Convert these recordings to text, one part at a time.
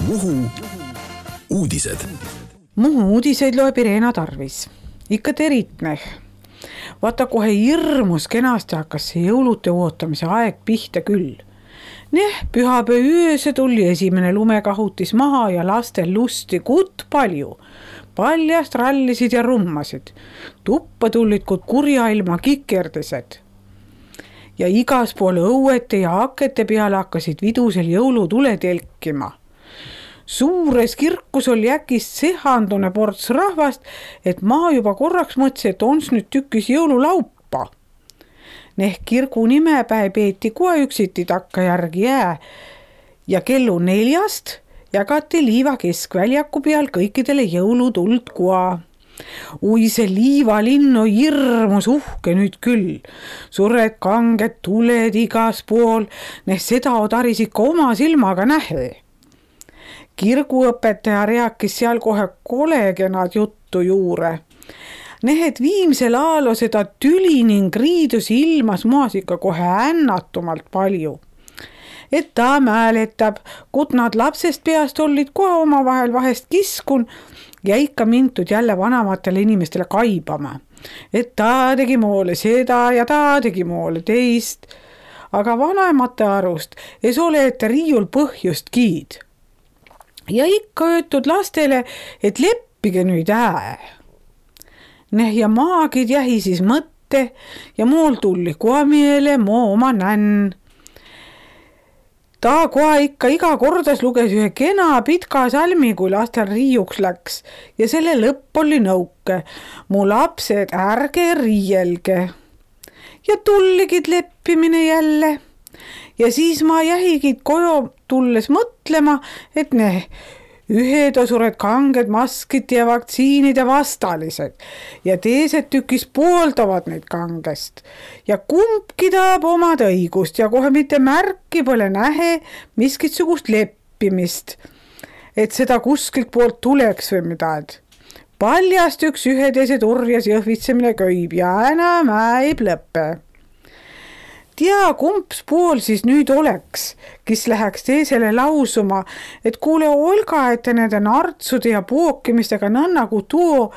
Muhu uudised. Muhu uudiseid loeb Irena Tarvis. Ikka teritneh. Vaata kohe hirmus kenasti hakkas see jõulute ootamise aeg pihta küll. Pühapäeva ööse tuli esimene lumekahutis maha ja lastel lusti kutt palju. Paljast rallisid ja rummasid. Tuppa tulid kuid kurja ilma kikerdised. Ja igas poole õuete ja akete peale hakkasid vidusel jõulutule telkima. Suures kirkus oli äkist sehandune ports rahvast, et ma juba korraks mõtlesin, et ons nüüd tükkis jõululaupa. Kirgu nimepäe peeti kohe üksiti takkajärgi jää ja kellu 4 jagati liiva keskväljaku peal kõikidele jõulutuld koa. Ui, see liivalinn on hirmus uhke nüüd küll. Suured kanged tuled igas pool, seda odaris ikka oma silmaga nähe. Kirguõpetaja rääkis seal kohe kolegenad juttu juure. Et viimsel aalo seda tüli ning riidusi ilmas moas ikka kohe ännatumalt palju. Et ta mäletab, kut nad lapsest peast olid kohe omavahel vahest kiskun ja ikka mintud jälle vanamatele inimestele kaibama. Et ta tegi moole seda ja ta tegi moole teist. Aga vanemate arust ei ole ette riiul põhjust kiid. Ja ikka öeltud lastele, et leppige nüüd ää. Ja maagid jähi siis mõtte ja mool tulli koha meele moo oma nänn. Ta koha ikka iga kordas luges ühe kena pitka salmi, kui lastel riiuks läks ja selle lõpp oli nõuke. Mu lapsed, ärge riielge. Ja tulligid leppimine jälle. Ja siis ma jähigid koju tulles mõtlema, et ühed osured kanged maskid ja vaktsiinide vastalised ja teised tükis pooldavad neid kangest. Ja kumbki tahab omad õigust ja kohe mitte märki pole nähe miskitsugust leppimist, et seda kuskilt poolt tuleks või midagi. Paljast üks üheteise turjas jõhvitsemine köib ja enam ei lõppe. Tea, kumps pool siis nüüd oleks, kes läheks teisele lausuma, et kuule Olga, et nende nartsude ja pookimistega nõnna kui tuo,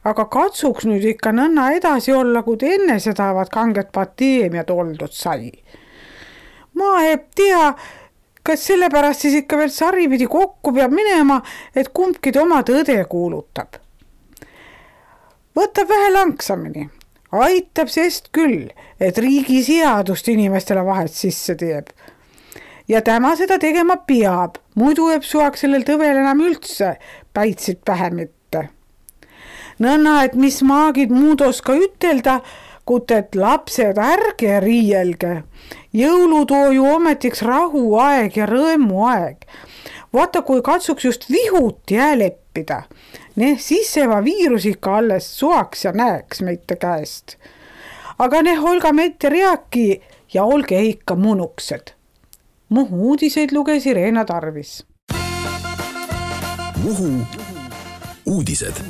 aga katsuks nüüd ikka nõnna edasi olla, kui enne seda kanget pandeemiat oldud sai. Ma ei tea, kas sellepärast siis ikka veel saripidi kokku peab minema, et kumbki oma tõde kuulutab. Võtab vähe langsamini. Aitab sest küll, et riigi seadust inimestele vahet sisse teeb. Ja tema seda tegema peab, muidu jääb suaks sellel tõvel enam üldse päitsid pähe mitte. Nõnna, et mis maagid muud oska ütelda, kut et lapsed ärge riielge. Jõulutoo ju ometiks rahuaeg ja rõõmuaeg. Vaata, kui katsuks just vihut jää leppida. Siis seva viirus ikka alles suaks ja näeks meite käest. Aga olga meite rääki ja olge ikka munuksed. Muhu uudiseid luges Irena Tarvis. Muhu uudised.